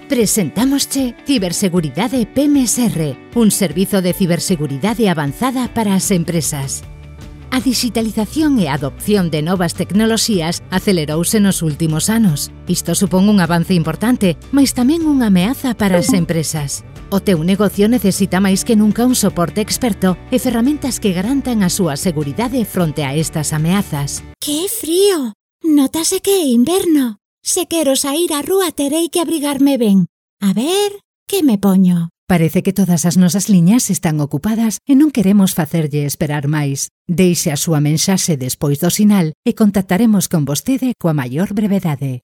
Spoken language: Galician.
Presentámosche Ciberseguridade PMSR, un servizo de ciberseguridade avanzada para as empresas. A digitalización e a adopción de novas tecnoloxías acelerouse nos últimos anos. Isto supón un avance importante, mas tamén unha ameaza para as empresas. O teu negocio necesita máis que nunca un soporte experto e ferramentas que garantan a súa seguridade fronte a estas ameazas. ¡Que frío! Nótase que é inverno. Se quero saír á rúa terei que abrigarme ben. A ver, que me poño? Parece que todas as nosas liñas están ocupadas e non queremos facerlle esperar máis. Deixe a súa mensaxe despois do sinal e contactaremos con vostede coa maior brevedade.